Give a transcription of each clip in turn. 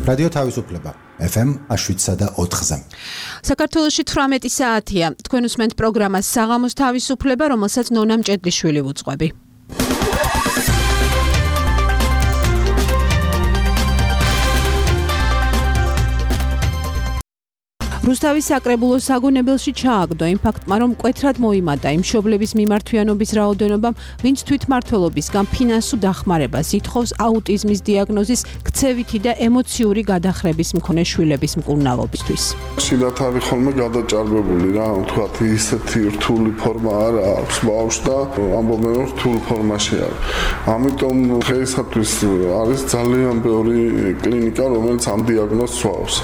რადიო თავისუფლება FM 7.4-ზე. საქართველოში 18 საათია. თქვენ უსმენთ პროგრამას საღამოს თავისუფლება, რომელსაც ნონა მჭედლიშვილი ვუძღვები. რუსთავის საკრებულოს საგონებელში ჩააგდო იმ ფაქტმა, რომ მკვეთრად მოიმატა იმ მშობლების მიმართვიანობის რაოდენობა, ვინც თვითმმართველობისგან ფინანსურ დახმარებას ითხოვს აუტიზმის დიაგნოზის, ქცევითი და ემოციური გადახრების მქონე შვილების მკურნალობისთვის. ხშირად არის ხოლმე გადაჭარბებული რა, თქვათ ისეთი რთული ფორმა არ აქვს ბავშვს და ამბობენ რომ რთულ ფორმაში არის. ამიტომ დღეისათვის არის ძალიან ბევრი კლინიკა, რომელიც ამ დიაგნოზს სვავს.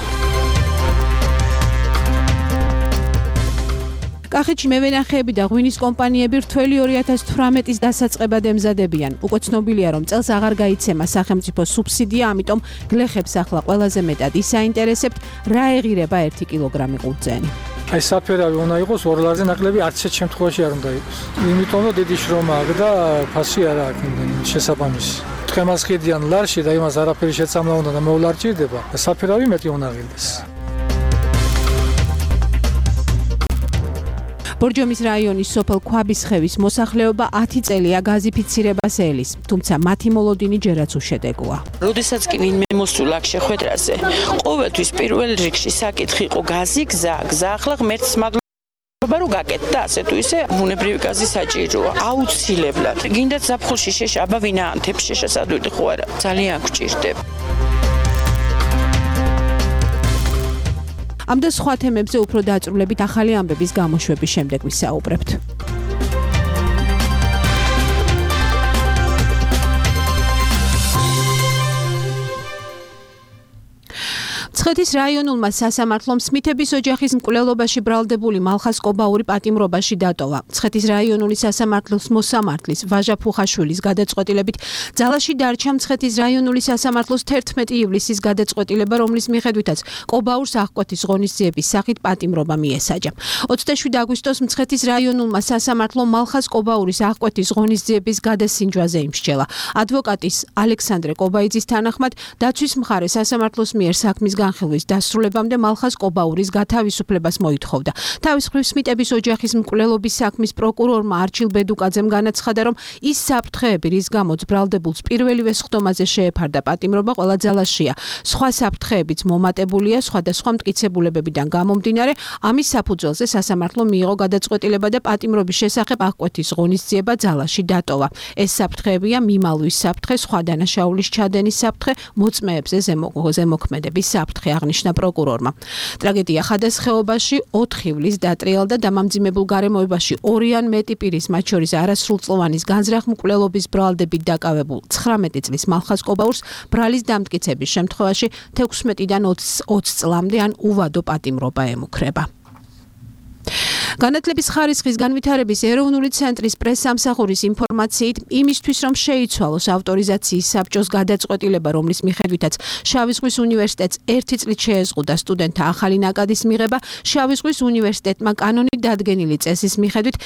კახეთში მევენახეები და ღვინის კომპანიები რთველი 2018-ის დასაწყებად ემზადებიან. უკვე ცნობილია, რომ წელს აღარ გაიცემა სახელმწიფო სუბსიდია, ამიტომ გლეხებს ახლა ყველაზე მეტად ისაინტერესებთ, რა ეღირება 1 კილოგრამი ყურძენი. აი საფერავი უნდა იყოს 2 ლარზე ნაკლები, არც ერთ შემთხვევაში არ უნდა იყოს. იმიტომ რომ დიდი შრომა აქვს და ფასი არ აქვს იმდენი შესაბამისი. თხემას ხიდიან ლარში და იმას არაფერი შეცამლა უნდა და მოვლარჭირდება. საფერავი მეტი უნდა ღირდეს. ბორჯომის რაიონის სოფელ ქვაბისხევის მოსახლეობა 10 წელია გაზიფიცირებას ელის, თუმცა მათი მოლოდინი ჯერაც უშედეგოა. როდესაც კი ვინმე მოსულა აქ შეხვედრაზე, ყოველთვის პირველ რიგში საკითხი იყო გაზი, გზა, ახლა ღმერთს მადლობა რომ გაკეთდა და ასე თუ ისე ბუნებრივი გაზი საჭიროა. აუცილებლად. გინდათ ზაფხულში შეშა, აბა ვინა ანთებს შეშა სადვილი ხო არა. ძალიან გვჭირდება. ამ და სხვა თემებზე უფრო დაწვრილებით ახალი ამბების გამოშვების შემდეგ ვისაუბრებთ. მცხეთის რაიონულმა სასამართლომ სმითების ოჯახის მკვლელობაში ბრალდებული მალხას კობაური პატიმრობაში დატოვა. მცხეთის რაიონული სასამართლოს მოსამართლის ვაჟა ფუხაშვილის გადაწყვეტილებით ძალაში დარჩა მცხეთის რაიონული სასამართლოს 11 ივლისის გადაწყვეტილება, რომლის მიხედვითაც კობაურს აღკვეთის ღონისძიების სახით პატიმრობა მიესაჯა. 27 აგვისტოს მცხეთის რაიონულმა სასამართლომ მალხას კობაურის აღკვეთის ღონისძიების გადასინჯვაზე იმსჯელა. ადვოკატის ალექსანდრე კობაიძის თანახმად დაცვის მხარე სასამართლოს მიერ საქმის განხილვის დასრულებამდე მალხას კობაურის გათავისუფლებას მოითხოვდა. თავის მხრივ სმიტების ოჯახის მკვლელობის საქმის პროკურორმა არჩილ ბედუკაძემ განაცხადა, რომ ის საფრთხეები, რის გამოც ბრალდებულს პირველივე სხდომაზე შეეფარდა პატიმრობა, ყველა ძალაშია. სხვა საფრთხეებიც მომატებულია სხვადასხვა მტკიცებულებებიდან გამომდინარე, ამის საფუძველზე სასამართლომ მიიღო გადაწყვეტილება და პატიმრობის შესახებ აღკვეთის ღონისძიება ძალაში დატოვა. ეს საფრთხეებია მიმალვის საფრთხე, სხვა დანაშაულის ჩადენის საფრთხე, მოწმეებზე ზემოქმედების საფრთხე. აღნიშნა პროკურორმა. ტრაგედია ხადასხეობაში 4 ივლის დატრიალდა დამამძიმებულ გარემოებაში 2 ან მეტი პირის, მათ შორის არასრულწლოვანის განზრახ მკვლელობის ბრალდებით დაკავებულ 19 წლის მალხას კობაურს ბრალის დამტკიცების შემთხვევაში 16-დან 20 წლამდე ან უვადო პატიმრობა ემუქრება. განათლების ხარისხის განვითარების ეროვნული ცენტრის პრესსამსახურის ინფორმაციით, იმისთვის რომ შეიცვალოს ავტორიზაციის საბჭოს გადაწყვეტილება, რომლის მიხედვითაც შავი ზღვის უნივერსიტეტს 1 წლით შეეზღუდა სტუდენტთა ახალი ნაკადის მიღება, შავი ზღვის უნივერსიტეტმა კანონით დადგენილი წესის მიხედვით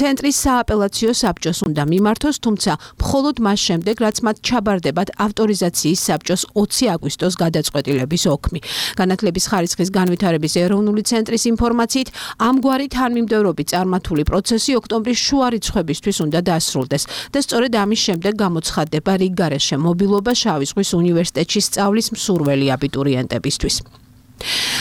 ცენტრის სააპელაციო საბჭოს უნდა მიმართოს, თუმცა მხოლოდ მას შემდეგ, რაც მათ ჩაბარდებათ ავტორიზაციის საბჭოს 20 აგვისტოს გადაწყვეტილების ოქმი. განათლების ხარისხის განვითარების ეროვნული ცენტრის ინფორმაციით, ამგვარი თანმიმდევრობით წარმართული პროცესი ოქტომბრის შუა რიცხვებისთვის უნდა დასრულდეს და სწორედ ამის შემდეგ გამოცხადდება რიგგარეშე მობილობა შავი ზღვის უნივერსიტეტში სწავლის მსურველი აბიტურიენტებისთვის.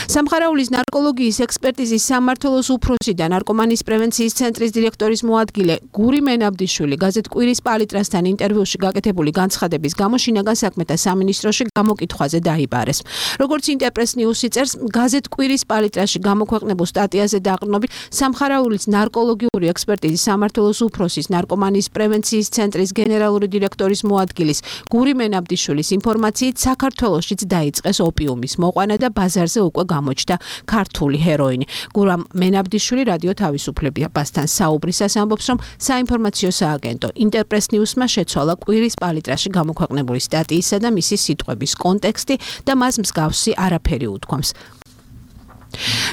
სამხარაულის ნარკოლოგიის ექსპერტიზის სამმართველოს უფროსი და ნარკომანიის პრევენციის ცენტრის დირექტორის მოადგილე გური მენაბდიშვილი გაზეთ კვირის პალიტრასთან ინტერვიუში გაკეთებული განცხადების გამო შინაგან საქმეთა სამინისტროში გამოკითხვაზე დაიბარეს. როგორც ინტერპრეს ნიუსი წერს, გაზეთ კვირის პალიტრაში გამოქვეყნებულ სტატიაზე დაყრდნობით სამხარაულის ნარკოლოგიური ექსპერტიზის სამმართველოს უფროსის ნარკომანიის პრევენციის ცენტრის გენერალური დირექტორის მოადგილის გური მენაბდიშვილის ინფორმაციით საქართველოშიც დაიწყეს ოპიუმის მოყვანა და ბაზარზე უკვე გამოჩნდა ქართული ჰეროინი. გურამ მენაბდიშვილი რადიო თავისუფლებასთან საუბრისას ამბობს, რომ საინფორმაციო სააგენტო ინტერპრეს ნიუსმა შეცვალა კვირის პალიტრაში გამოქვეყნებული სტატიისა და მისი სიტყვების კონტექსტი და მას მსგავსი არაფერი უთქვამს.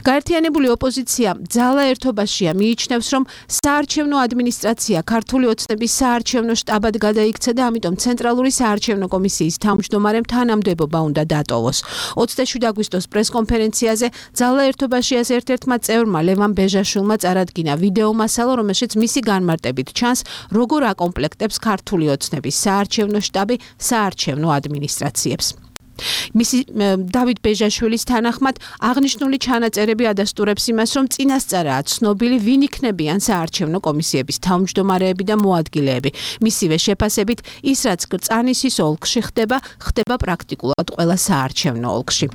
გაერთიანებული ოპოზიცია ძალა ერთობაშია მიიჩნევს, რომ საარჩევნო ადმინისტრაცია ქართული ოცნების საარჩევნო შტაბად გადაიქცა და ამიტომ ცენტრალური საარჩევნო კომისიის თავმჯდომარემ თანამდებობა უნდა დატოვოს. 27 აგვისტოს პრესკონფერენციაზე ძალა ერთობაშიას ერთ-ერთმა წევრმა ლევან ბეჟაშვილმა წარადგინა ვიდეო მასალა, რომელშიც მისი განმარტებით ჩანს, როგორ აკომპლექტებს ქართული ოცნების საარჩევნო შტაბი საარჩევნო ადმინისტრაციებს. მისი დავით ბეჟაშვილის თანახმად აღნიშნული ჩანაწერები ადასტურებს იმას, რომ წინასწარაა ცნობილი, ვინ იქნებიან საარჩევნო კომისიების თავმჯდომარეები და მოადგილეები. მისივე შეფასებით, ის რაც კრწანისის ოლქში ხდება პრაქტიკულად ყველა საარჩევნო ოლქში.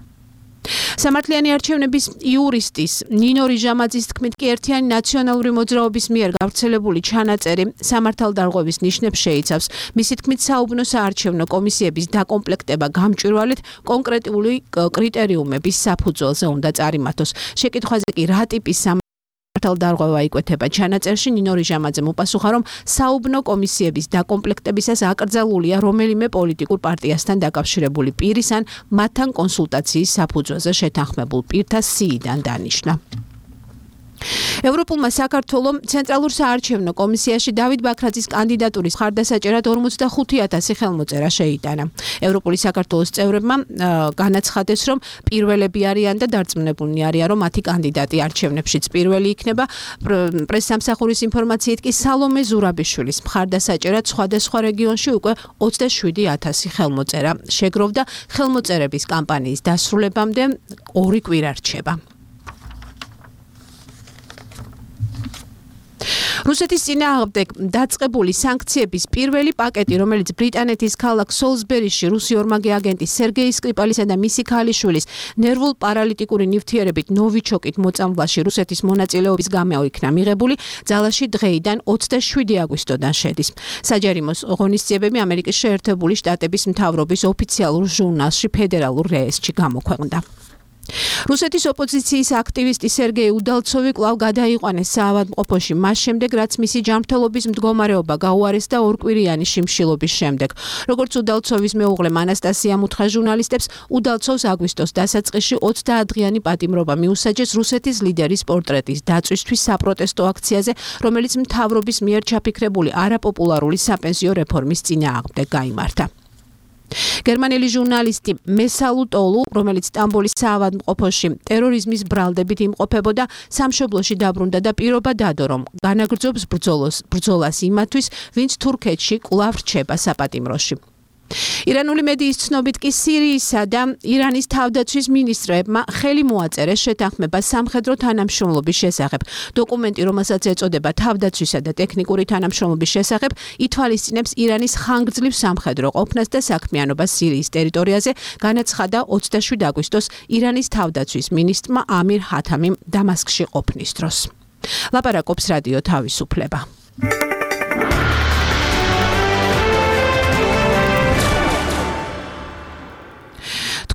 სამართლიანი არჩევნების იურისტის ნინო რიჟამაძის თქმით კი ერთიანი ნაციონალური მოძრაობის მიერ გავრცელებული ჩანაწერი სამართალდარღვევის ნიშნებს შეიცავს. მისი თქმით საუბნო საარჩევნო კომისიების დაკომპლექტება გამჭვირვალედ კონკრეტული კრიტერიუმების საფუძველზე უნდა წარიმართოს. შეკითხვაზე კი რა ტიპის მართალდარღვევა იკვეთება ჩანაწერში, ნინო რიჟამაძემ უპასუხა, რომ საუბნო კომისიების დაკომპლექტებისას აკრძალულია რომელიმე პოლიტიკურ პარტიასთან დაკავშირებული პირის ან მათთან კონსულტაციის საფუძველზე შეთანხმებულ პირთა სიიდან დანიშნა. ევროპულმა საქართველომ ცენტრალურ საარჩევნო კომისიაში დავით ბაქრაძის კანდიდატურის მხარდასაჭერად 45,000 ხელმოწერა შეიტანა. ევროპული საქართველოს წევრებმა განაცხადეს, რომ პირველები არიან და დარწმუნებულნი არიან, რომ მათი კანდიდატი არჩევნებშიც პირველი იქნება. პრესსამსახურის ინფორმაციით კი სალომე ზურაბიშვილის მხარდასაჭერად სხვადასხვა რეგიონში უკვე 27,000 ხელმოწერა შეგროვდა. ხელმოწერების კამპანიის დასრულებამდე 2 კვირა რჩება. რუსეთის წინააღმდეგ დაწყებული სანქციების პირველი პაკეტი, რომელიც ბრიტანეთის ქალაქ სოლსბერიში რუსი ორმაგი აგენტის სერგეი სკრიპალისა და მისი ქალიშვილის ნერვულ პარალიტიკური ნივთიერებით ნოვიჩოკით მოწამვლაში რუსეთის მონაწილეობის გამო იქნა მიღებული, ძალაში დღეიდან 27 აგვისტოდან შედის. საჯარიმოს ღონისძიებები ამერიკის შეერთებული შტატების მთავრობის ოფიციალურ ჟურნალში ფედერალურ რეესტრში გამოქვეყნდა. რუსეთის ოპოზიციის აქტივისტი სერგეი უდალცოვი კვლავ გადაიყვანეს საავადმყოფოში მას შემდეგ, რაც მისი ჯანმრთელობის მდგომარეობა გაუარესდა 2 კვირიანი შიმშილობის შემდეგ. როგორც უდალცოვის მეუღლე ანასტასიამ უთხრა ჟურნალისტებს, უდალცოვს აგვისტოს დასაწყისში 30 დღიანი პატიმრობა მიუსაჯეს რუსეთის ლიდერის პორტრეტის დაწვისთვის საპროტესტო აქციაზე, რომელიც მთავრობის მიერ ჩაფიქრებული არაპოპულარული საპენსიო რეფორმის წინააღმდეგ გაიმართა. გერმანელი ჟურნალისტი მესალუ ტოლუ, რომელიც სტამბოლის საავადმყოფოში ტერორიზმის ბრალდებით იმყოფებოდა, სამშობლოში დაბრუნდა და პირობა დადო, რომ განაგრძობს ბრძოლას იმათვის, ვინც თურქეთში კვლავ რჩება საპატიმროში. ირანული მედიის ცნობით კი სირიისა და ირანის თავდაცვის მინისტრებმა ხელი მოაწერეს შეთანხმება სამხედრო თანამშრომლობის შესახებ. დოკუმენტი, რომელსაც ეწოდება თავდაცვისა და ტექნიკური თანამშრომლობის შესახებ, ითვალისწინებს ირანის ხანგრძლივ სამხედრო ყოფნას და საქმიანობას სირიის ტერიტორიაზე, განაცხადა 27 აგვისტოს ირანის თავდაცვის მინისტრმა ამირ ჰათამიმ დამასკში ყოფნის დროს. ლაპარაკობს რადიო თავისუფლება.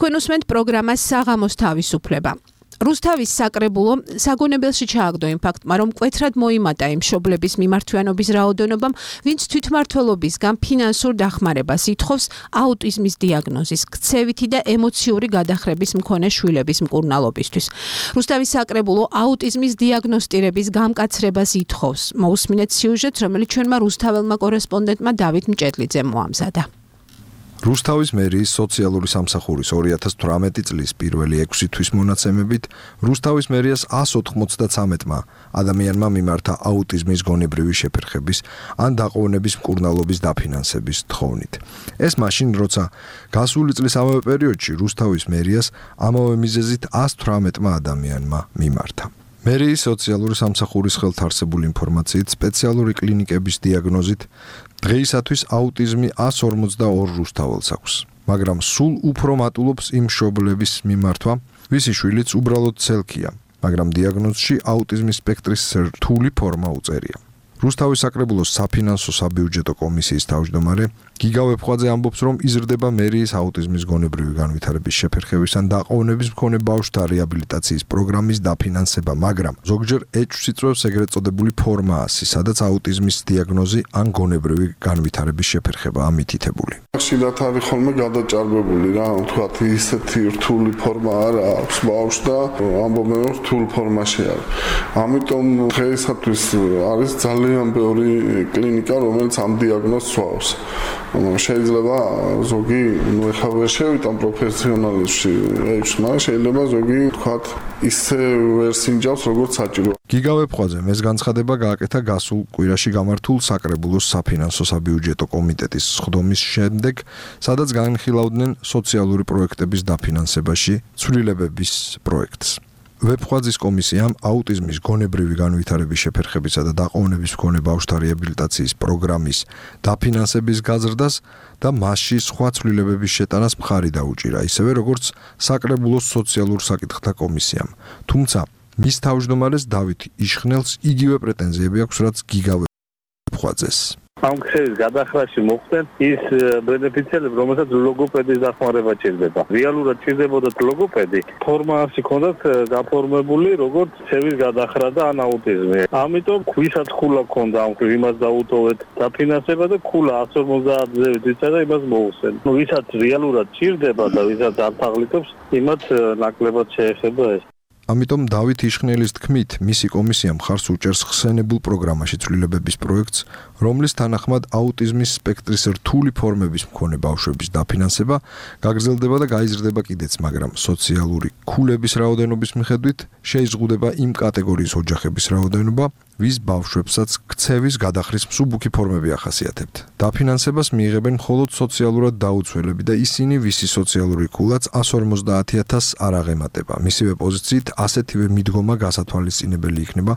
თქვენ უსმენთ პროგრამას საღამოს თავისუფლება. რუსთავის საკრებულო საგონებელში ჩააგდო იმ ფაქტმა, რომ მკვეთრად მოიმატა იმ მშობლების მიმართვიანობის რაოდენობამ, ვინც თვითმმართველობისგან ფინანსურ დახმარებას ითხოვს აუტიზმის დიაგნოზის, ქცევითი და ემოციური გადახრების მქონე შვილების მკურნალობისთვის. რუსთავის საკრებულო აუტიზმის დიაგნოსტირების გამკაცრებას ითხოვს. მოусმინეთ სიუჟეტს, რომელიც ჩვენმა რუსთაველმა კორესპონდენტმა დავით მჭედლიძემ მოამზადა. რუსთავის მერიის სოციალური სამსახურის 2018 წლის პირველი 6 თვის მონაცემებით რუსთავის მერიას 193-მა ადამიანმა მიმართა აუტიზმის გონებრივი შეფერხების ან დაყოვნების მკურნალობის დაფინანსების თხოვნით. ეს მაშინ, როცა გასული წლის ამავე პერიოდში რუსთავის მერიას ამავე მიზეზით 118-მა ადამიანმა მიმართა. მერიის სოციალური სამსახურის ხელთარსებული ინფორმაციით სპეციალური კლინიკების დიაგნოზით დღეისათვის აუტიზმი 142 რუსთაველს აქვს, მაგრამ სულ უფრო მატულობს იმ მშობლების მიმართვა, ვისი შვილიც უბრალოდ ცელქია, მაგრამ დიაგნოზში აუტიზმის სპექტრის რთული ფორმა უწერია. რუსთავის საკრებულოს საფინანსო საბიუჯეტო კომისიის თავმჯდომარე გიგა ვეფხვაძე ამბობს, რომ იზრდება მერიის აუტიზმის გონებრივი განვითარების შეფერხების ან დაყოვნების მქონე ბავშვთა რეაბილიტაციის პროგრამის დაფინანსება, მაგრამ ზოგჯერ ეჭვს იწვევს ეგრეთ წოდებული ფორმაასი, სადაც აუტიზმის დიაგნოზი ან გონებრივი განვითარების შეფერხება ამითითებული. ხშირად არის ხოლმე გადაჭარბებული რა, თქვათ ისეთი რთული ფორმა არ აქვს ბავშვს და ამბობენ რომ რთულ ფორმაში არის. ამიტომ დღეისათვის არის ძალიან ბევრი კლინიკა, რომელიც ამ დიაგნოზს სვავს. შეიძლება ზოგი, ეხლა ვერ შევიტან პროფესიონალიზმში, მაგრამ შეიძლება ზოგი თქვათ ისე ვერ სინჯავს როგორც საჭირო. გიგა ვეფხვაძე ეს განცხადება გააკეთა გასულ კვირაში გამართულ საკრებულოს საფინანსო საბიუჯეტო კომიტეტის სხდომის შემდეგ, სადაც განხილავდნენ სოციალური პროექტების დაფინანსებაში ცვლილებების პროექტს. ვეფხვაძის კომისიამ აუტიზმის გონებრივი განვითარების შეფერხებისა და დაყოვნების მქონე ბავშვთა რეაბილიტაციის პროგრამის დაფინანსების გაზრდას და მასში სხვა ცვლილებების შეტანას მხარი დაუჭირა, ისევე როგორც საკრებულოს სოციალურ საკითხთა კომისიამ. თუმცა მის თავმჯდომარეს დავით იშხნელს იგივე პრეტენზიები აქვს, რაც გიგა ვეფხვაძეს. ამ ქსევის გადახრაში მოხდნენ ის ბენეფიციარები, რომელსაც ლოგოპედის დახმარება ჭირდება. რეალურად ჭირდებოდათ ლოგოპედი, ფორმაში ჰქონდათ გაფორმებული როგორც ქსევის გადახრა და ან აუტიზმი. ამიტომ ვისაც ხულა ჰქონდა ამ იმას დაუტოვეთ დაფინანსება და ხულა 150-ზე ვიცა და იმას მოუსვენ. ვისაც რეალურად ჭირდება და ვისაც არ თაღლითობს, იმათ ნაკლებად შეეხება ეს. ამიტომ დავით იშხნელის თქმით, მისი კომისია მხარს უჭერს ხსენებულ პროგრამაში ცვლილებების პროექტს, რომლის თანახმად აუტიზმის სპექტრის რთული ფორმების მქონე ბავშვების დაფინანსება გაგრძელდება და გაიზრდება კიდეც, მაგრამ სოციალური ქულების რაოდენობის მიხედვით შეიზღუდება იმ კატეგორიის ოჯახების რაოდენობა, ვის ბავშვებსაც ქცევის გადახრის მსუბუქი ფორმები ახასიათებთ. დაფინანსებას მიიღებენ მხოლოდ სოციალურად დაუცველები და ისინი, ვისი სოციალური ქულაც 150,000-ს არ აღემატება. მისივე პოზიციით ასეთივე მიდგომა გასათვალისწინებელი იქნება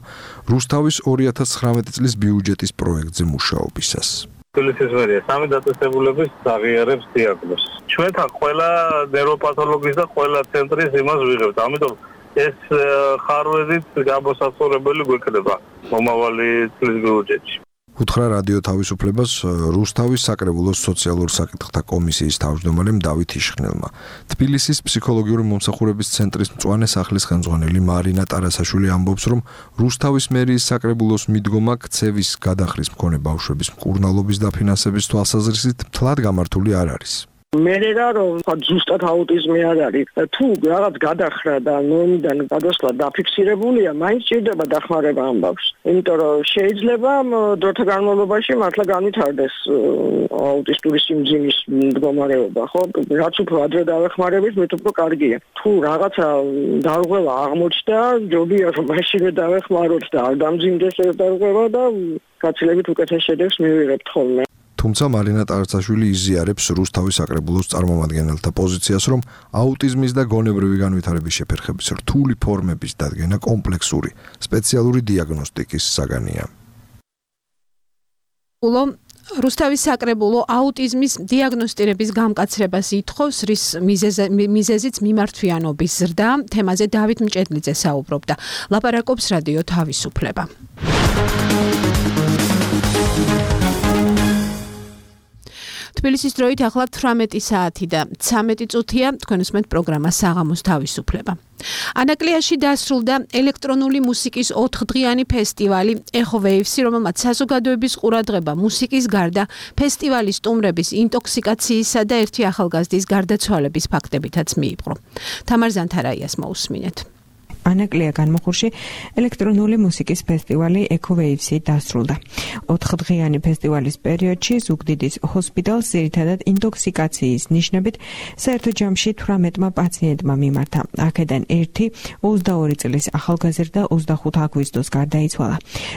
რუსთავის 2019 წლის ბიუჯეტის პროექტზე მუშაობისას. თბილისის მერია სამი დაწესებულების აღიარებს დიაგნოზს. ჩვენთან ყველა ნეიროპათოლოგის და ყველა ცენტრის იმას ვიღებთ. ამიტომ ეს ხარვეზით გამოსაცხოვრებელი გვექნება მომავალი წლის ბიუჯეტში. უთხრა რადიო თავისუფლებას რუსთავის საკრებულოს სოციალურ საკითხთა კომისიის თავმჯდომარემ დავით იშხნელმა. თბილისის ფსიქოლოგიური მომსახურების ცენტრის მწვანე სახლის ხელმძღვანელი მარინა ტარასაშვილი ამბობს, რომ რუსთავის მერიის საკრებულოს მიდგომა ქცევის გადახრის მქონე ბავშვების მკურნალობის დაფინანსების თვალსაზრისით მთლად გამართული არ არის. მერე რომ ზუსტად აუტიზმი არ არის, თუ რაღაც გადახრა და ნორმიდან გადასვლა დაფიქსირებულია, მაინც ჭირდება დახმარება ამ ბავშვს. იმიტომ რომ შეიძლება დროთა განმავლობაში მართლა განვითარდეს აუტისტური სიმძიმის მდგომარეობა, ხო? რაც უფრო ადრე დავეხმარებით, მით უფრო კარგია. თუ რაღაცა დარღვევა აღმოჩნდა, ჯობია რომ მაშინვე დავეხმაროთ და არ დამძიმდეს ეს დარღვევა და გაცილებით უკეთეს შედეგს მივიღებთ ხოლმე. თუმცა მარინა ტარასაშვილი იზიარებს რუსთავის საკრებულოს წარმომადგენელთა პოზიციას, რომ აუტიზმის და გონებრივი განვითარების შეფერხების რთული ფორმების დადგენა კომპლექსური, სპეციალური დიაგნოსტიკის საგანია. რუსთავის საკრებულო აუტიზმის დიაგნოსტირების გამკაცრებას ითხოვს, რის მიზეზიც მიმართვიანობის ზრდა. თემაზე დავით მჭედლიძე საუბრობდა. ლაპარაკობს რადიო თავისუფლება. თბილისის დროით ახლა 18 საათი და 13 წუთია, თქვენ უსმენთ პროგრამა საღამოს თავისუფლება. ანაკლიაში დასრულდა ელექტრონული მუსიკის 4დღიანი ფესტივალი Echo Waves, რომელმაც საზოგადოების ყურადღება მუსიკის გარდა ფესტივალის სტუმრების ინტოქსიკაციისა და ერთი ახალგაზრდის გარდაცვალების ფაქტებითაც მიიპყრო. თამარ ზანთარაიას მოусმინეთ. ანაკლია განმოხურში ელექტრონული მუსიკის ფესტივალი Echo Waves-ი დასრულდა. 4დღიანი ფესტივალის პერიოდში ზუგდიდის ჰოსპიტალს ძირითადად ინტოქსიკაციის ნიშნებით საერთო ჯამში 18-მა პაციენტმა მიმართა. აქედან ერთი 22 წლის ახალგაზრდა 25 აგვისტოს გარდაიცვალა.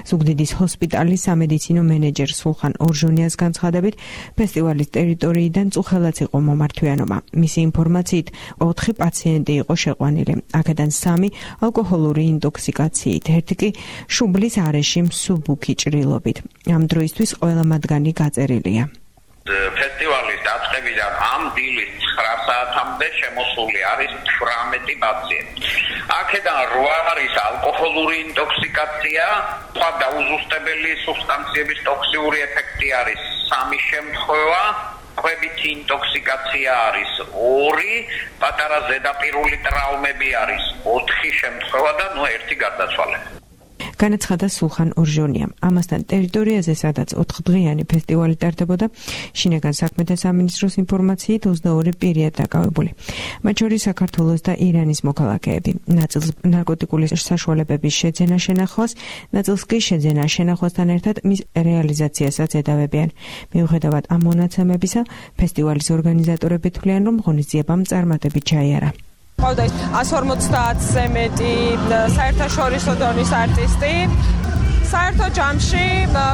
ზუგდიდის ჰოსპიტალის სამედიცინო მენეჯერ სულხან ორჟონიას განცხადებით, ფესტივალის ტერიტორიიდან წუხელაც იყო მომართვიანობა. მისი ინფორმაციით 4 პაციენტი იყო შეყვანილი. აქედან 3 ალკოჰოლური ინტოქსიკაციით, ერთი კი შუბლის არეში მსუბუქი ჭრილობით. ამ დროისთვის ყველა მათგანი გაწერილია. ფესტივალის დაწყებიდან ამ დილის 9 საათამდე დღემდე შემოსული არის 18 პაციენტი. აქედან 8 არის ალკოჰოლური ინტოქსიკაცია, სხვა დაუზუსტებელი სუბსტანციების ტოქსიური ეფექტი არის 3 შემთხვევა. ხვებითი ინტოქსიკაცია არის 2, პატარა ზედაპირული ტრავმები არის 4 შემთხვევა და 1 გარდაცვალება. განაცხადა სულხან ორჟონიამ. ამასთან ტერიტორიაზე, სადაც 4დღიანი ფესტივალი ტარდებოდა, შინაგან საქმეთა სამინისტროს ინფორმაციით 22 პირია დაკავებული. მათ შორის საქართველოს და ირანის მოქალაქეები. ნაწილს ნარკოტიკული საშუალებების შეძენა შენახვას, ნაწილს კი შეძენა შენახვასთან ერთად მის რეალიზაციასაც ედავებიან. მიუხედავად ამ მონაცემებისა, ფესტივალის ორგანიზატორები თვლიან, რომ ღონისძიებამ წარმატებით ჩაიარა. ყავდა 150-ზე მეტი საერთაშორისო დონის არტისტი. საერთო ჯამში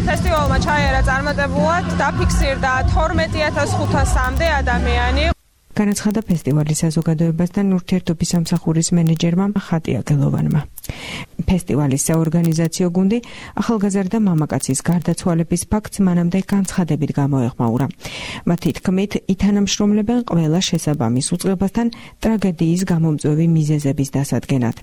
ფესტივალმა ჩაიარა წარმატებულად, დაფიქსირდა 12500-მდე ადამიანი. განაცხადა ფესტივალის საზოგადოებასთან ურთიერთობის სამსახურის მენეჯერმა ხატია გელოვანმა. ფესტივალის საორგანიზაციო გუნდი ახალგაზრდა მამაკაცის გარდაცვალების ფაქტს მანამდე განცხადებით გამოეხმაურა. მათი თქმით, ითანამშრომლებენ ყველა შესაბამის უწყებასთან ტრაგედიის გამომწვევი მიზეზების დასადგენად.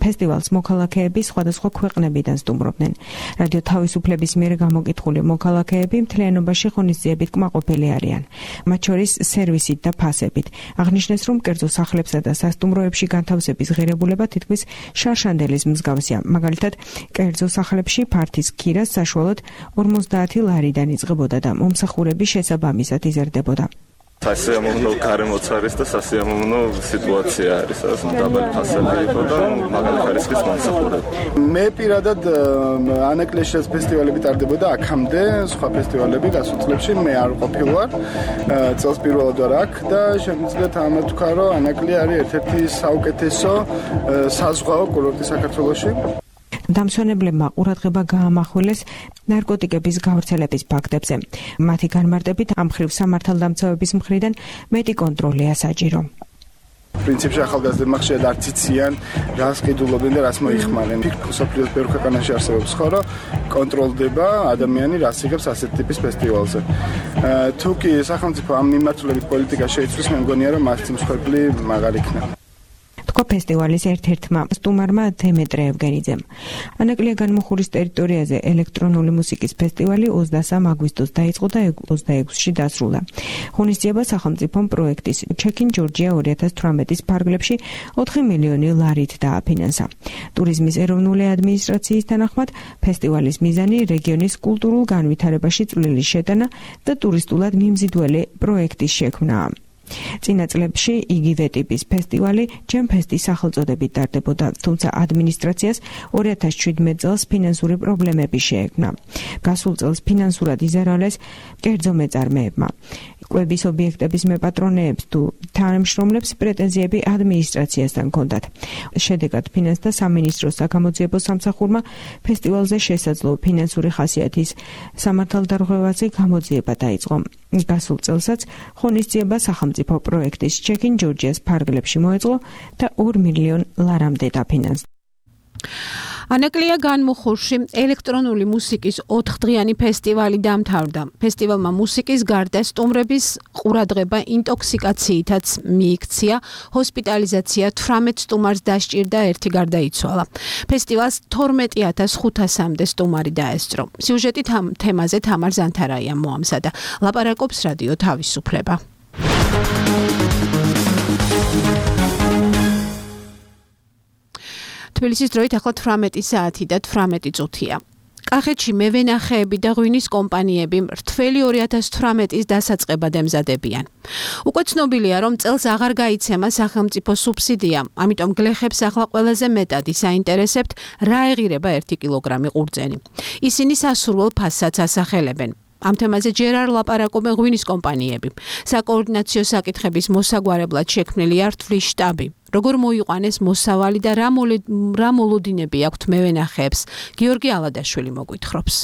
ფესტივალს მოქალაქეები სხვადასხვა ქვეყნებიდან სტუმრობდნენ. რადიო თავისუფლების მიერ გამოკითხული მოქალაქეები მთლიანობაში ღონისძიებით კმაყოფილი არიან. მათ შორის სერვისით და ფასებით. აღნიშნეს, რომ კერძო სახლებსა და სასტუმროებში განთავსების ღირებულება თითქმის შარშანდელის მსგავსია. მაგალითად, კერძო სახლებში ფართის ქირას საშუალოდ 50 ლარიდან იწყებოდა და მომსახურების შესაბამისად იზრდებოდა. სასიამოვნო გარემოც არის და სასიამოვნო სიტუაცია არის, დაბალი ფასები იყო და მაგარი ხარისხის მომსახურება. მე პირადად ანაკლეშის ფესტივალები ტარდებოდა აქამდე, სხვა ფესტივალები გასულ წლებში მე არ ყოფილვარ. წელს პირველად ვარ აქ და შემიძლია თამათ ვქა, რომ ანაკლი არის ერთ-ერთი საუკეთესო საზღვაო კურორტი საქართველოში. დამსვენებლებმა ყურადღება გაამახვილეს ნარკოტიკების გავრცელების ფაქტებზე. მათი განმარტებით ამ მხრივ სამართალდამცავების მხრიდან მეტი კონტროლია საჭირო. პრინციპში ახალგაზრდებმა ხშირად არც იციან, რას ყიდულობენ და რას მოიხმარენ. სოფლიოს ბევრ ქვეყანაში არსებობს ხო, რომ კონტროლდება ადამიანი რას იღებს ასეთ ტიპის ფესტივალზე. თუ კი სახელმწიფო ამ მიმართულებით პოლიტიკა შეიცვლის, მე მგონია, რომ მასწინს მსხვერპლი მაღალი იქნება. თქვა ფესტივალის ერთ-ერთმა სტუმარმა დემეტრე ევგენიძემ. ანაკლია განმუხურის ტერიტორიაზე ელექტრონული მუსიკის ფესტივალი 23 აგვისტოს დაიწყო და 26-ში დასრულდა. ღონისძიება სახელმწიფომ პროექტის Check-in Georgia 2018-ის ფარგლებში 4 მილიონი ლარით დააფინანსა. ტურიზმის ეროვნული ადმინისტრაციის თანახმად, ფესტივალის მიზანი რეგიონის კულტურულ განვითარებაში წვლილი შეტანა და ტურისტულად მიმზიდველი პროექტის შექმნაა. წინა წლებში იგივე ტიპის ფესტივალი ჯემფესტის სახელწოდებით ტარდებოდა, თუმცა ადმინისტრაციას 2017 წელს ფინანსური პრობლემები შეექმნა. გასულ წელს ფინანსურად იზარალეს კერძო მეწარმეებმა. კვების ობიექტების მეპატრონეებს თუ თანამშრომლებს პრეტენზიები ადმინისტრაციასთან ჰქონდათ. შედეგად ფინანსთა სამინისტროს საგამოძიებო სამსახურმა ფესტივალზე შესაძლო ფინანსური ხასიათის სამართალდარღვევაზე გამოძიება დაიწყო. გასულ წელსაც ღონისძიება სახელმწიფო პროექტის Check-in Georgia-ს ფარგლებში მოეწყო და 2 მილიონ ლარამდე დაფინანსდა. ანაკლია განმუხურში ელექტრონული მუსიკის 4დღიანი ფესტივალი დამთავრდა. ფესტივალმა მუსიკის გარდა სტუმრების ყურადღება ინტოქსიკაციითაც მიიქცია, ჰოსპიტალიზაცია 18 სტუმარს დასჭირდა, 1 გარდაიცვალა. ფესტივალს 12500-მდე სტუმარი დაესწრო. სიუჟეტით ამ თემაზე თამარ ზანთარაიამ მოამზადა. ლაპარაკობს რადიო თავისუფლება. თბილისის დროით ახლა 18 საათი და 18 წუთია. კახეთში მევენახეები და ღვინის კომპანიები მრთველი 2018-ის დასაწყებად ემზადებიან. უკვე ცნობილია, რომ წელს აღარ გაიცემა სახელმწიფო სუბსიდია, ამიტომ გლეხებს ახლა ყველაზე მეტად ისაინტერესებთ, რა ეღირება 1 კილოგრამი ყურძენი. ისინი სასურველ ფასსაც ასახელებენ. ამ თემაზე ჯერ არ ლაპარაკობენ ღვინის კომპანიები. საკოორდინაციო საკითხების მოსაგვარებლად შექმნილია რთვლის შტაბი. როგორ მოიყვანეს მოსავალი და რა მოლოდინები აქვთ მევენახეებს, გიორგი ალადაშვილი მოგვითხრობს.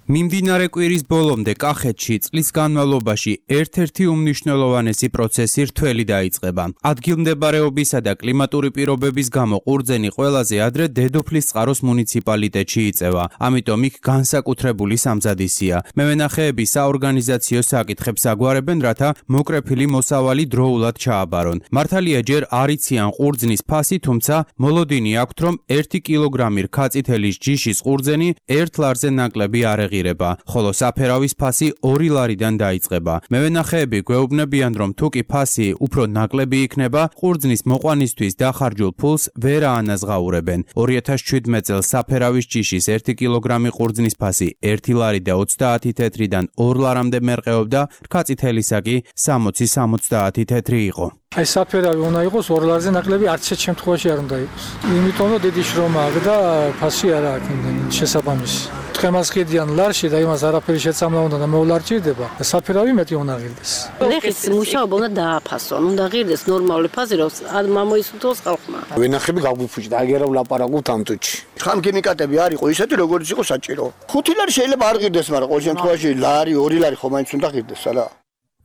მიმდინარე კვირის ბოლომდე კახეთში წლის განმავლობაში ერთ-ერთი უმნიშვნელოვანესი პროცესი რთველი დაიწყება. ადგილმდებარეობისა და კლიმატური პირობების გამო ყურძენი ყველაზე ადრე დედოფლის წყაროს მუნიციპალიტეტში იწევა. ამიტომ იქ განსაკუთრებული სამზადისია. მევენახეები საორგანიზაციო საკითხებს აგვარებენ, რათა მოკრეფილი მოსავალი დროულად ჩააბარონ. მართალია ჯერ არ იციან ყურძნის ფასი, თუმცა მოლოდინი აქვთ, რომ 1 კილოგრამი რქაწითელის ჯიშის ყურძენი 1 ლარზე ნაკლები არ ეღირება, ხოლო საფერავის ფასი 2 ლარიდან დაიწყება. მევენახეები გვეუბნებიან, რომ თუ კი ფასი უფრო ნაკლები იქნება, ყურძნის მოყვანისთვის დახარჯულ ფულს ვერ აანაზღაურებენ. 2017 წელს საფერავის ჯიშის 1 კილოგრამი ყურძნის ფასი 1 ლარი და 30 თეთრიდან 2 ლარამდე მერყეობდა, რქაწითელისა კი 60-70 თეთრი იყო. აი საფერავი უნდა იყოს 2 ლარზე ნაკლები, არც ერთ შემთხვევაში არ უნდა იყოს. იმიტომ რომ დიდი შრომაა და ფასი არ აქვს იმდენი შესაბამისი. თხემას ხედიან ლარში და იმას არაფერი შეცამლა უნდა და მოვლარჭირდება. საფერავი მეტი უნდა ღირდეს. ლეხის მუშაობა უნდა დააფასონ, უნდა ღირდეს ნორმალური ფაზი, რომ მოისურვოს ხალხმა. ვენახები გაგვიფუჭდა, აგერა ვლაპარაკობთ ამ თუჩი. ხამქიმიკატები არ იყო ისეთი, როგორც იყო საჭირო. 5 ლარი შეიძლება არ ღირდეს, მაგრამ ყოველ შემთხვევაში ლარი, 2 ლარი ხომ მაინც უნდა ღირდეს, არა?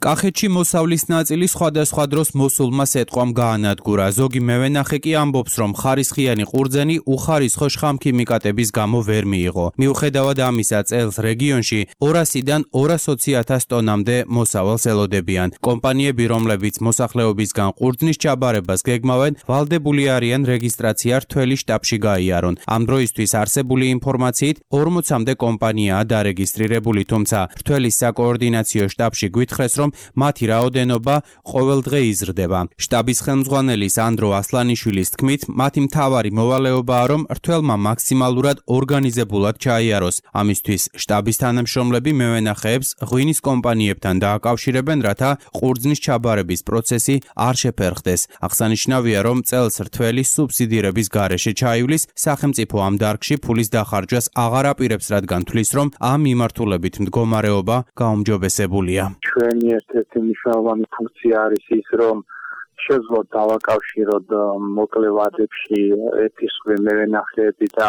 კახეთში მოსავლის ნაწილი სხვადასხვა დროს მოსულმა სეტყვამ გაანადგურა. ზოგი მევენახე კი ამბობს, რომ ხარისხიანი ყურძენი უხარისხო შხამქიმიკატების გამო ვერ მიიღო. მიუხედავად ამისა, წელს რეგიონში 200-დან 220,000 ტონამდე მოსავალს ელოდებიან. კომპანიები, რომლებიც მოსახლეობისგან ყურძნის ჩაბარებას გეგმავენ, ვალდებული არიან რეგისტრაცია რთველი შტაბში გაიარონ. ამ დროისთვის არსებული ინფორმაციით 40-მდე კომპანიაა დარეგისტრირებული, თუმცა რთველის საკოორდინაციო შტაბში გვითხრეს, რომ მათი რაოდენობა ყოველ დღე იზრდება. შტაბის ხელმძღვანელის ანდრო ასლანიშვილის თქმით, მათი მთავარი მოვალეობაა, რომ რთველმა მაქსიმალურად ორგანიზებულად ჩაიაროს. ამისთვის შტაბის თანამშრომლები მევენახეებს ღვინის კომპანიებთან დააკავშირებენ, რათა ყურძნის ჩაბარების პროცესი არ შეფერხდეს. აღსანიშნავია, რომ წელს რთველი სუბსიდირების გარეშე ჩაივლის, სახელმწიფო ამ დარგში ფულის დახარჯვას აღარ აპირებს, რადგან თვლის, რომ ამ მიმართულებით მდგომარეობა გაუმჯობესებულია. ჩვენი ერთ-ერთი მნიშვნელოვანი ფუნქცია არის ის, რომ შეძლოთ დავაკავშიროთ მოკლე ვადებში ერთისხრივ მევენახეები და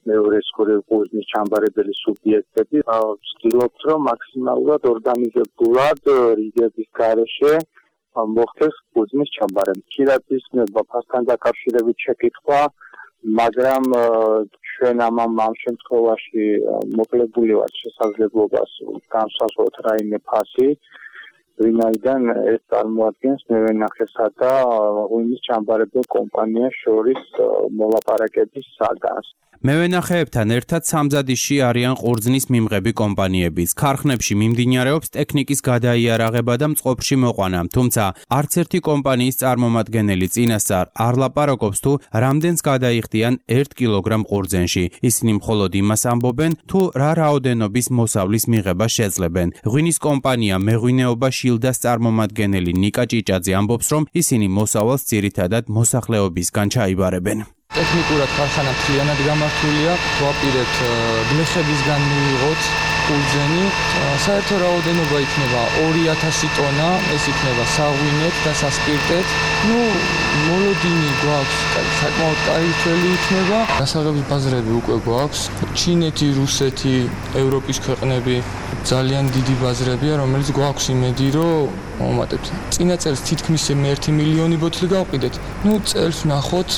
მეორესხრივ ყურძნის ჩამბარებელი სუბიექტები. ვცდილობთ, რომ მაქსიმალურად ორგანიზებულად რიგების გარეშე მოხდეს ყურძნის ჩამბარება. ხშირად ისმება ფასთან დაკავშირებით შეკითხვა, მაგრამ ჩვენ ამ შემთხვევაში მოკლებული ვართ შესაძლებლობას განსაზღვროთ რაიმე ფასი, ვინაიდან ეს წარმოადგენს მევენახესა და ღვინის ჩამბარებელ კომპანიას შორის მოლაპარაკების საგანს. მევენახეებთან ერთად სამზადისში არიან ყურძნის მიმღები კომპანიებიც. ქარხნებში მიმდინარეობს ტექნიკის გადაიარაღება და მწყობრში მოყვანა, თუმცა არც ერთი კომპანიის წარმომადგენელი წინასწარ არ ლაპარაკობს თუ რამდენს გადაიხდიან 1 კილოგრამ ყურძენში. ისინი მხოლოდ იმას ამბობენ, თუ რა რაოდენობის მოსავლის მიღება შეძლებენ. ღვინის კომპანია მეღვინეობა შილდას წარმომადგენელი ნიკა ჭიჭაძე ამბობს, რომ ისინი მოსავალს ძირითადად მოსახლეობისგან ჩაიბარებენ. ტექნიკურად ქარხანა მთლიანად გამართულია, ვაპირებთ გლეხებისგან მიიღოთ ყურძენი. საერთო რაოდენობა იქნება 2000 ტონა, ეს იქნება საღვინეთ და სასპირტეთ. მოლოდინი გვაქვს, საკმაოდ კაი თველი იქნება. დასაღების ბაზრები უკვე გვაქვს. ჩინეთი, რუსეთი, ევროპის ქვეყნები ძალიან დიდი ბაზრებია, რომელიც გვაქვს იმედი, რომ მომატებთ. წინა წელს თითქმის 1 მილიონი ბოთლი გავყიდეთ. წელს ვნახოთ,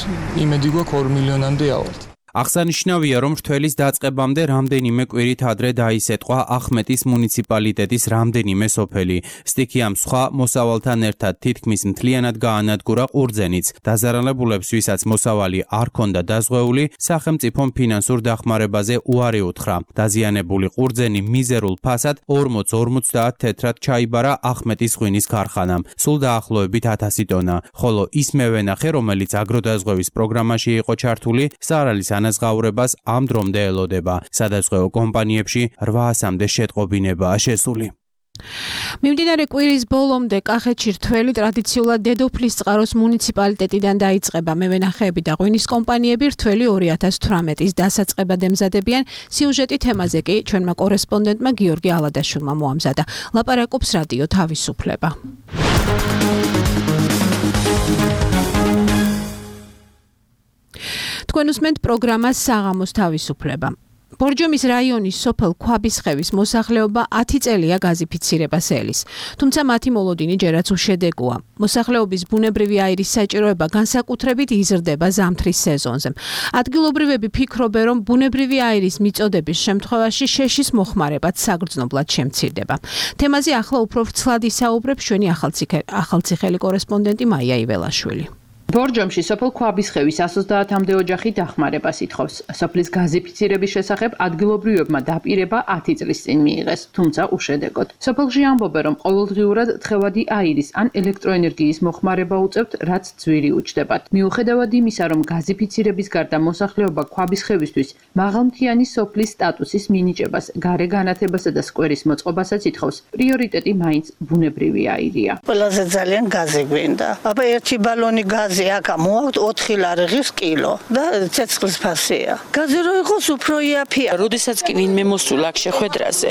იმედი გვაქვს 2 მილიონამდე ავართ. აღსანიშნავია, რომ რთველის დაწყებამდე რამდენიმე კვირით ადრე დაისეტყვა ახმეტის მუნიციპალიტეტის რამდენიმე სოფელი. სტიქიამ სხვა მოსავალთან ერთად თითქმის მთლიანად გაანადგურა ყურძენიც. დაზარალებულებს, ვისაც მოსავალი არ ქონდა დაზღვეული, სახელმწიფომ ფინანსურ დახმარებაზე უარი უთხრა. დაზიანებული ყურძენი მიზერულ ფასად 40-50 თეთრად ჩაიბარა ახმეტის ღვინის ქარხანამ. სულ დაახლოებით 1000 ტონა, ხოლო ის მევენახე, რომელიც აგროდაზღვევის პროგრამაში იყო ჩართული, სარალის ანაზღაურებას ამ დრომდე ელოდება. სადაზღვეო კომპანიებში 800-მდე შეტყობინებაა შესული. მიმდინარე კვირის ბოლომდე კახეთში რთველი ტრადიციულად დედოფლის წყაროს მუნიციპალიტეტიდან დაიწყება. მევენახეები და ღვინის კომპანიები რთველი 2018-ის დასაწყებად ემზადებიან. სიუჟეტი თემაზე კი ჩვენმა კორესპონდენტმა გიორგი ალადაშვილმა მოამზადა. ლაპარაკობს რადიო თავისუფლება. თქვენ უსმენთ პროგრამას საღამოს თავისუფლება. ბორჯომის რაიონის სოფელ ქვაბისხევის მოსახლეობა 10 წელია გაზიფიცირებას ელის, თუმცა მათი მოლოდინი ჯერაც უშედეგოა. მოსახლეობის ბუნებრივი აირის საჭიროება განსაკუთრებით იზრდება ზამთრის სეზონზე. ადგილობრივები ფიქრობენ, რომ ბუნებრივი აირის მიწოდების შემთხვევაში შეშის მოხმარებაც საგრძნობლად შემცირდება. თემაზე ახლა უფრო ვრცლად ისაუბრებს ჩვენი ახალციხელი კორესპონდენტი მაია იველაშვილი. ბორჯომში სოფელ ქვაბისხევის 130-მდე ოჯახი დახმარებას ითხოვს. სოფლის გაზიფიცირების შესახებ ადგილობრივებმა დაპირება 10 წლის წინ მიიღეს, თუმცა უშედეგოდ. სოფელში ამბობენ, რომ ყოველდღიურად თხევადი აირის ან ელექტროენერგიის მოხმარება უწევთ, რაც ძვირი უჩნდებათ. მიუხედავად იმისა, რომ გაზიფიცირების გარდა მოსახლეობა ქვაბისხევისთვის მაღალმთიანი სოფლის სტატუსის მინიჭებას, გარე განათებასა და სკვერის მოწყობასაც ითხოვს, პრიორიტეტი მაინც ბუნებრივი აირია. ყველაზე ძალიან გაზი გვინდა. აბა ერთი ბალონი გაზი აკა მოაქვთ 4 ლარღის კილო და ცეცხლის ფასია. გაზი რო იყოს უფრო იაფია. როდესაც კი ვინმე მოსულა აქ შეხვედრაზე,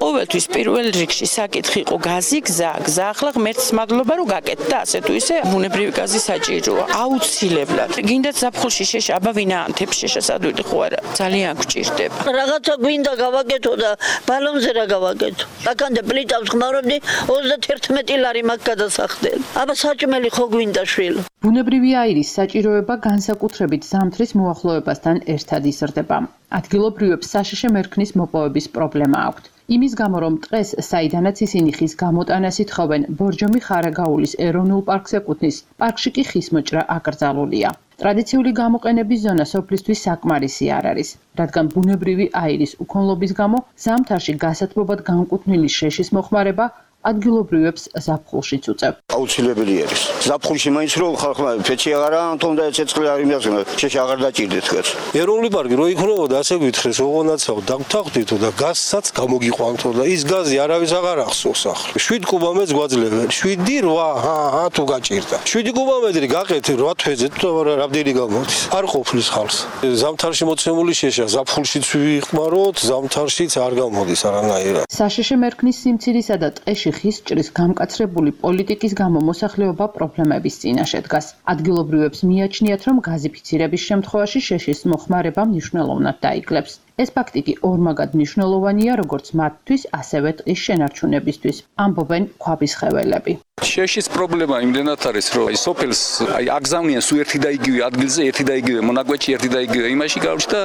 ყოველთვის პირველ რიგში საკითხი იყო გაზი, გზა ახლა ღმერთს მადლობა რომ გაკეთდა და ასე თუ ისე ბუნებრივი გაზი საჭიროა. აუცილებლად. გინდათ ზაფხულში შეშა, აბა ვინ აანთებს შეშას ადვილი ხო არა? ძალიან გვჭირდება. რაღაცა გვინდა გავაკეთო და ბალონზე რა გავაკეთო. აქამდე პლიტავს ხმარობდი 31 ლარი მაგ გადასახდელი. აბა საჭმელი ხო გვინდა შვილო. ბუნებრივი აირის საჭიროება განსაკუთრებით ზამთრის მოახლოებასთან ერთად იზრდება. ადგილობრივებს საშიში მერქნის მოპოვების პრობლემა აქვთ. იმის გამო, რომ დღეს საიდანაც ისინი ხის გამოტანას ითხოვენ, ბორჯომი ხარაგაულის ეროვნულ პარკს ეკუთვნის, პარკში კი ხის მოჭრა აკრძალულია. ტრადიციული გამოყენების ზონა სოფლისთვის საკმარისი არ არის, რადგან ბუნებრივი აირის უქონლობის გამო ზამთარში გასათბობად განკუთვნილი შეშის მოხმარება ადგილობრივებს ზაფხულშიც უწევ. აუცილებელი არის. ზაფხულში მაინც რო ხალხმა ფეჩი აღარა თუნდა ცეცხლი არ იმდახსნა, შეშა აღარ დაჭირდეთ თქვენ. ეროვნული პარკი რო იქნებოდა, ასე გითხრეს, ოღონდაცაო დაგთახვდითო და გაზსაც გამოგიყვანთო და ის გაზი არავის აღარ ახსოვს ახლა. 7 კუბამეტრს გვაძლევენ. 7 თუ გაჭირდა. 7 კუბამეტრი გაყეთ 8 თვეზე თუ რამდენი გამოდის. არ ყოფნის ხალხს. ზამთარში მოცემული შეშა, ზაფხულშიც ვიხმაროთ, ზამთარშიც არ გამოდის არანაირად. საშიში მერქნის სიმცირისა და ტყეში ხის ჭრის გამკაცრებული პოლიტიკის გამო მოსახლეობა პრობლემების წინაშე დგას. ადგილობრივებს მიაჩნიათ, რომ გაზიფიცირების შემთხვევაში შეშის მოხმარება მნიშვნელოვნად დაიკლებს. ეს ფაქტი კი ორმაგად მნიშვნელოვანია როგორც მათთვის, ასევე ტყის შენარჩუნებისთვის, ამბობენ ქვაბისხეველები. შეშის პრობლემა იმდენად არის, რომ სოფელს აგზავნიან სულ ერთი და იგივე ადგილზე, ერთი და იგივე მონაკვეთში, ერთი და იგივე იმაში გავჩნდა,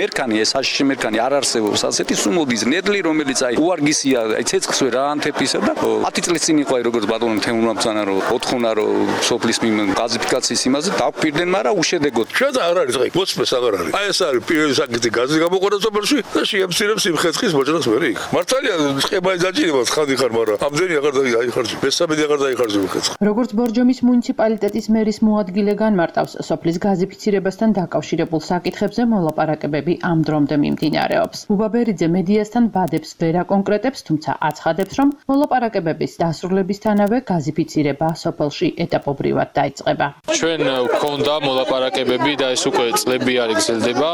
მერქანი, ეს საშიში მერქანი არ არსებობს, ასეთი სულ მოდის ნედლი, რომელიც უარგისია, ცეცხლს ვერ აანთებისა და 10 წლის წინ იყო როგორც ბატონო თემურმა ბრძანა, რომ 4 რო სოფლის გაზიფიკაციის იმაზე დავპირდნენ, მაგრამ უშედეგოდ. შენ არ არის ღი, მოსწეს აღარ არის. აი ეს არის პირველი საკითხი გაზი გამოყენება სოფელში და შეემცირებს იმ ხეცხის მოჭრას მე იქ. მართალია წყებაი დაჭირება ხანდი ხარ, მაგრამ ამდენი აღარ დაიხარჯე. მესამედი აღარ დაიხარჯე ხეცხი. როგორც ბორჯომის მუნიციპალიტეტის მერის მოადგილე განმარტავს, სოფლის გაზიფიცირებასთან დაკავშირებულ საკითხებზე მოლაპარაკებები ამ დრომდე მიმდინარეობს. უბაბერიძე მედიასთან ბადებს ვერ აკონკრეტებს, თუმცა აცხადებს, რომ მოლაპარაკებების დასრულებისთანავე გაზიფიცირება სოფელში ეტაპობრივად დაიწყება. ჩვენ გვქონდა მოლაპარაკებები და ეს უკვე წლები არ გრძელდება.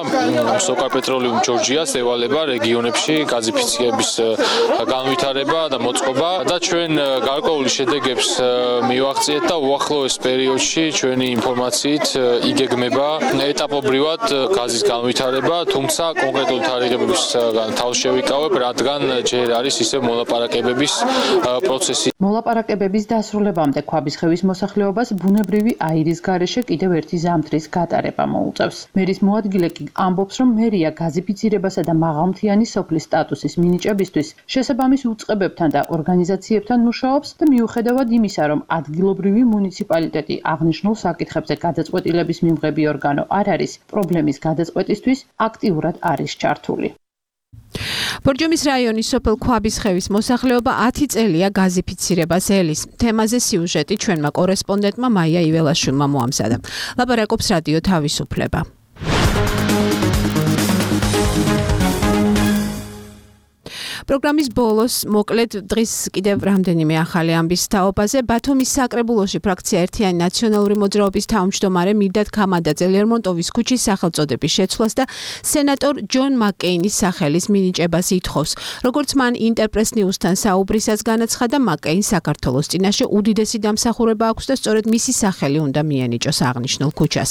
სოკარპეტროლიუმ ჯორჯიას ევალება რეგიონებში გაზიფიცირების განვითარება და მოწყობა და ჩვენ გარკვეული შედეგებს მივაღწიეთ და უახლოეს პერიოდში ჩვენი ინფორმაციით იგეგმება ეტაპობრივად გაზის განვითარება, თუმცა კონკრეტული თარიღების თავს შევიკავებ, რადგან ჯერ არის ისე მოლაპარაკებების პროცესი. მოლაპარაკებების დასრულებამდე ქვაბისხევის მოსახლეობას ბუნებრივი აირის გარეშე კიდევ ერთი ზამთრის გატარება მოუწევს. მერის მოადგილე კი ამბობს, რომ მერია გაზიფიცირებასა და მაღალმთიანი სოფლის სტატუსის მინიჭებისთვის შესაბამის უწყებებთან და ორგანიზაციებთან მუშაობს და მიუხედავად იმისა, რომ ადგილობრივი მუნიციპალიტეტი აღნიშნულ საკითხებზე გადაწყვეტილების მიმღები ორგანო არ არის, პრობლემის გადაწყვეტისთვის აქტიურად არის ჩართული. ბორჯომის რაიონის სოფელ ქვაბისხევის მოსახლეობა 10 წელია გაზიფიცირებას ელის. თემაზე სიუჟეტი ჩვენმა კორესპონდენტმა მაია იველაშვილმა მოამზადა. ლაპარაკობს რადიო თავისუფლება. პროგრამის ბოლოს მოკლედ დღის კიდევ რამდენიმე ახალი ამბის თაობაზე ბათუმის საკრებულოში ფრაქცია ერთიანი ნაციონალური მოძრაობის თავმჯდომარე მირდად ქამადაძე ლერმონტოვის ქუჩის სახელწოდების შეცვლას და სენატორ ჯონ მაკკეინის სახელის მინიჭებას ითხოვს. როგორც მან ინტერპრეს ნიუსთან საუბრისას განაცხადა, მაკკეინს საქართველოს წინაშე უდიდესი დამსახურება აქვს და სწორედ მისი სახელი უნდა მიენიჭოს აღნიშნულ ქუჩას.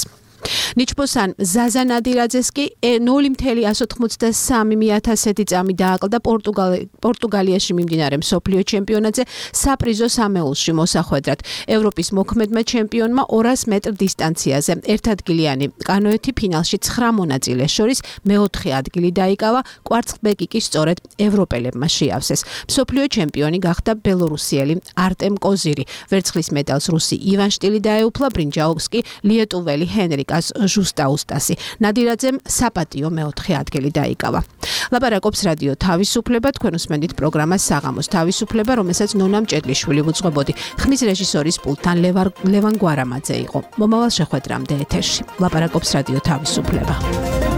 ნიჩბოსან ზაზა ნადირაძეს კი 0.183 წამი დააკლდა პორტუგალიაში მიმდინარე მსოფლიო ჩემპიონატზე საპრიზო სამეულში მოსახვედრად. ევროპის მოქმედმა ჩემპიონმა 200 მეტრ დისტანციაზე ერთადგილიანი კანოეთი ფინალში 9 მონაწილეს შორის მეოთხე ადგილი დაიკავა, კვარცხლბეკი კი სწორედ ევროპელებმა შეავსეს. მსოფლიო ჩემპიონი გახდა ბელორუსიელი არტემ კოზირი. ვერცხლის მედალს რუსი ივან შტილი დაეუფლა, ბრინჯაოს კი ლიეტუველი ჰენრიკას ჟუსტაუსტასი. ნადირაძემ საპატიო მეოთხე ადგილი დაიკავა. ლაპარაკობს რადიო თავისუფლება, თქვენ უსმენთ პროგრამას საღამოს თავისუფლება, რომელსაც ნონა მჭედლიშვილი უძღვებოდი. ხმის რეჟისორის პულტთან ლევან გვარამაძე იყო. მომავალ შეხვედრამდე ეთერში. ლაპარაკობს რადიო თავისუფლება.